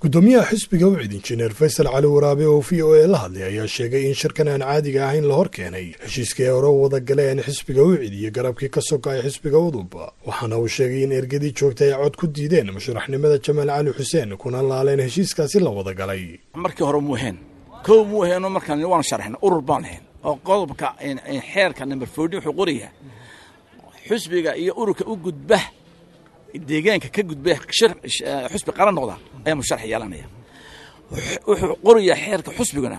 Gudoomiyaha xisbiga UCID, Injineer Faysal Cali Waraabe, oo VOA la hadlay, ayaa sheegay in shirkan aan caadiga ahayn la hor keenay heshiiskii ay hore u wada galeen xisbiga UCID iyo garabkii ka sokay xisbiga UDUB. Waxaana uu sheegay in ergadii joogtay ay cod ku diideen musharaxnimada Jamaal Cali Xuseen, kuna laaleen heshiiskaasi la wada galay. Markii hore muuheen kow muuheeno, markaan waanu sharxnay, urur baan lahayn oo qodobka xeerka number 14 wuxuu qorayaa xusbiga iyo ururka u gudba deegaanka ka gudba xusbi qaran noqda ayaa musharax yeelanaya. Wuxuu qorayaa xeerka xusbiguna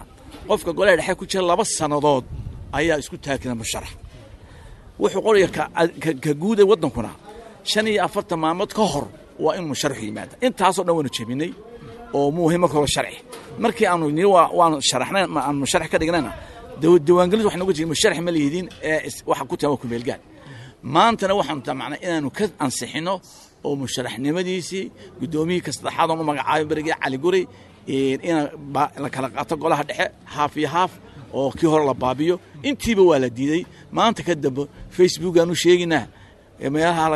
qofka golaha dhexe ku jira 2 sannadood ayaa isku taagkara musharax. Wuxuu qorayaa ka guuda waddankuna 45 maalmood ka hor waa inuu musharaxu yimaada. Intaasoo dhan waanu jebinay oo muuhi marka hore sharci. Markii aanu nii waanu sharaxnay, aanu musharax ka dhignayna, diiwaangelintu waxay noga jireen musharax ma lihidin ee waxa ku tahay waa kumeelgaad. Maantana waxaanu damacnay inaanu ka ansixino oo musharaxnimadiisii guddoomiyihii ka saddexaad oon u magacaabay berigii Cali Guri in la kala qaato golaha dhexe haaf iyo haaf oo kii hore la baabiyo. Intiiba waa la diiday. Maanta ka dambe Facebookaanu sheeginaa, meelaha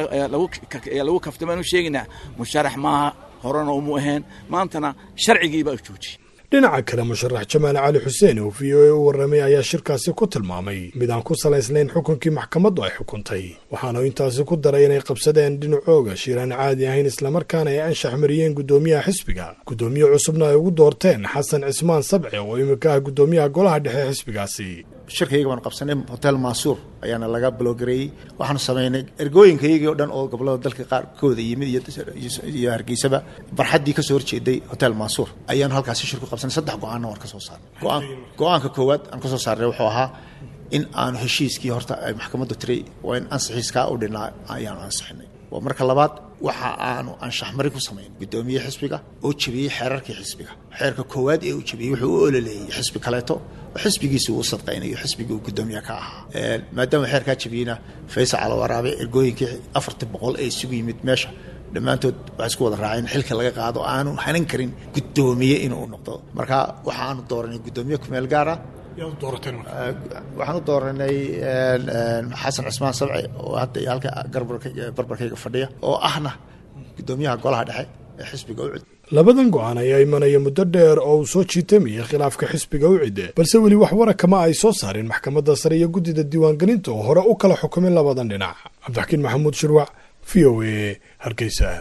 lagu kaftamaanu sheeginaa, musharax maaha, horena umu ahayn, maantana sharcigiibaa joojiyey. Dhinaca kale, musharax Jamaal Cali Xuseen oo VOA u warramay ayaa shirkaasi ku tilmaamay mid aan ku salaysnayn xukunkii maxkamaddu ay xukuntay. Waxaana intaasi ku daray inay qabsadeen dhinacooga shir aan caadi ahayn, islamarkaana ay anshax mariyeen guddoomiyaha xisbiga, guddoomiye cusubna ay ugu doorteen Xasan Cismaan Sabce oo imika ah guddoomiyaha golaha dhexe xisbigaasi. Shirkayga baanu qabsanay, Hotel Maasuur ayaana laga blogareeyey. Waxaanu samaynay ergooyinkayagii o dhan oo gobolada dalka qaarkooda yimid iyo Hargeysaba, barxaddii kasoo horjeeday Hotel Maasuur ayaanu halkaasi shir ku qabsanay. Saddex go-aanna waan ka soo saarnay. Go-aanka koowaad aan kasoo saarnay wuxuu ahaa in aanu heshiiskii horta ay maxkamaddu tiray waa in ansixiiskaa u dhinaa ayaanu ansixinay. Waa marka labaad, waxa aanu anshaxmari ku samayn guddoomiye xisbiga oo jebiyey xeerarkii xisbiga. Xeerka koowaad ee uu jebiyey, wuxuu u ololeeyey xisbi kaleeto oo xisbigiisa uu sadqaynayo xisbigii uu guddoomiye ka ahaa. Maadaama xeerkaa jebiyeyna, Faysal Calawaraabe ergooyinkii 400 ee isugu yimid meesha dhammaantood waxay isku wada raaceen xilka laga qaado, aanu hanan karin guddoomiye inuu noqdo. Marka waxaanu dooranay guddoomiye kumeel gaara. Waxaan u dooranay Xasan Cismaan Sabce oo hadda halka barbarkayga fadhiya oo ahna guddoomiyaha golaha dhexe ee xisbiga UCID. Labadan go-aan ayaa imanaya muddo dheer oo uu soo jiitamayay khilaafka xisbiga UCID, balse weli wax warakama ay soo saarin maxkamadda sare iyo guddida diiwaangelinta oo hore u kala xukumay labadan dhinac. Cabdixakiin Maxamuud Shirwac, VOA, Hargeysa.